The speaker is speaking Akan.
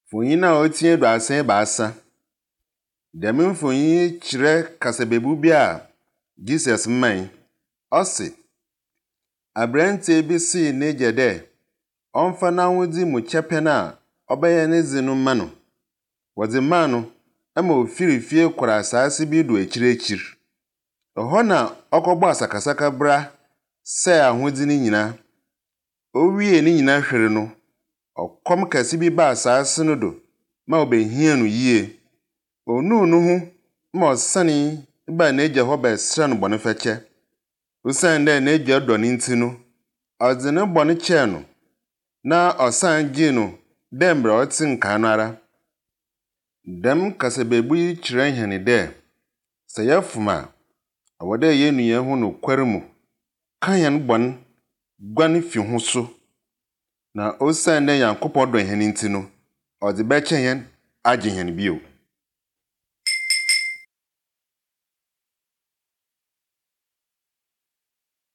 Mfonyin a otsia 33. Dɛm mfonyin yi kyerɛ kasabebu bi a Jesus mae. Ɔse, Aberantsɛ bi see n'egya dɛ ɔmfa n'ahodze mu kyɛpɛn a ɔbɛyɛ ne dze no mma no. Wɔdze maa no ma ofir fie kɔr asaase bi do ekyirekyir. Hɔ na ɔkɔbɔɔ asakasakabra sɛɛ ahodze no nyina. Owiee ne nyina hwer no, ɔkɔm kɛse bi baa asaase no do ma obehiaa no yie. Onuu no ho ma ɔsanee baa n'egya hɔ bɛserɛɛ no bɔn fakyɛ. Osiandɛ n'egya dɔ no ntsi no, ɔdze no bɔn kyɛɛ no na ɔsan gyee no dɛ mbrɛ ɔtse nkaa no ara. Dɛm kasabebu yi kyerɛ hɛn dɛ, sɛ yɛfom a, ɔwɔ dɛ yenu hɛnho nokwar mu, ka hɛn bɔn, guan fi ho so. Na osiandɛ Nyankopɔn dɔ hɛn ntsi no, ɔdze bɛkyɛ hɛn agye hɛn bio.